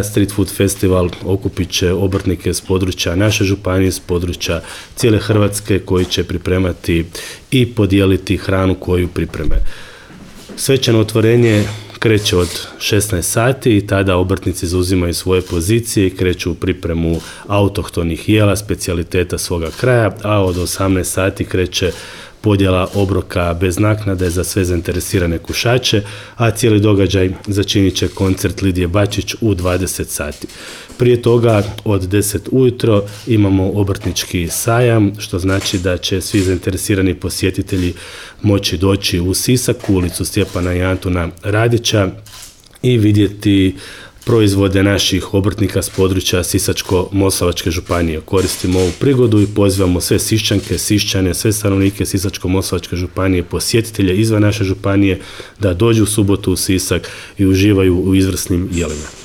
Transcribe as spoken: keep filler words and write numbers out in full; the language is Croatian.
Street Food Festival okupit će obrtnike s područja naše županije, s područja cijele Hrvatske koji će pripremati i podijeliti hranu koju pripreme. Svečano otvorenje kreće od šesnaest sati i tada obrtnici zauzimaju svoje pozicije i kreću u pripremu autohtonih jela, specijaliteta svoga kraja, a od osamnaest sati kreće podjela obroka bez naknade za sve zainteresirane kušače, a cijeli događaj začinit će koncert Lidije Bačić u dvadeset sati. Prije toga od deset ujutro imamo obrtnički sajam, što znači da će svi zainteresirani posjetitelji moći doći u Sisak, u ulicu Stjepana i Antuna Radića i vidjeti proizvode naših obrtnika s područja Sisačko-moslavačke županije. Koristimo ovu prigodu i pozivamo sve Siščanke, Siščane, sve stanovnike Sisačko-moslavačke županije, posjetitelje izvan naše županije da dođu u subotu u Sisak i uživaju u izvrsnim jelima.